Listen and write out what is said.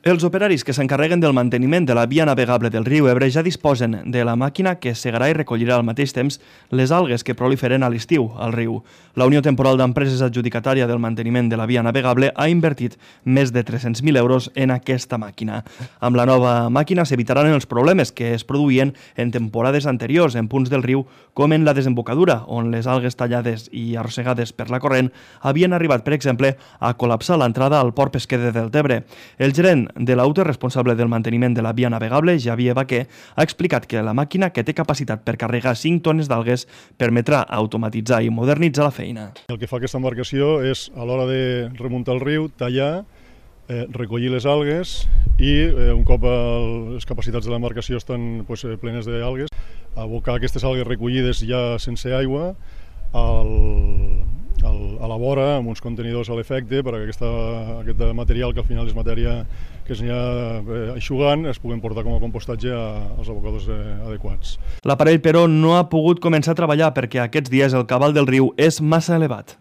Els operaris que s'encarreguen del manteniment de la via navegable del riu Ebre ja disposen de la màquina que segarà i recollirà al mateix temps les algues que proliferen a l'estiu al riu. La Unió Temporal d'Empreses adjudicatària del manteniment de la via navegable ha invertit més de 300.000 euros en aquesta màquina. Amb la nova màquina s'evitaran els problemes que es produïen en temporades anteriors en punts del riu com en la desembocadura, on les algues tallades i arrossegades per la corrent havien arribat, per exemple, a col·lapsar l'entrada al port pesquer de Deltebre. El gerent de la UTE responsable del manteniment de la via navegable, Javier Baquer, ha explicat que la màquina, que té capacitat per carregar 5 tones d'algues, permetrà automatitzar i modernitzar la feina. El que fa aquesta embarcació és, a l'hora de remuntar el riu, tallar, recollir les algues i, un cop les capacitats de l'embarcació estan plenes d'algues, abocar aquestes algues recollides ja sense aigua a la vora amb uns contenidors a l'efecte perquè aquest material, que al final és matèria que es anirà eixugant, es puguen portar com a compostatge als abocadors adequats. L'aparell, però, no ha pogut començar a treballar perquè aquests dies el cabal del riu és massa elevat.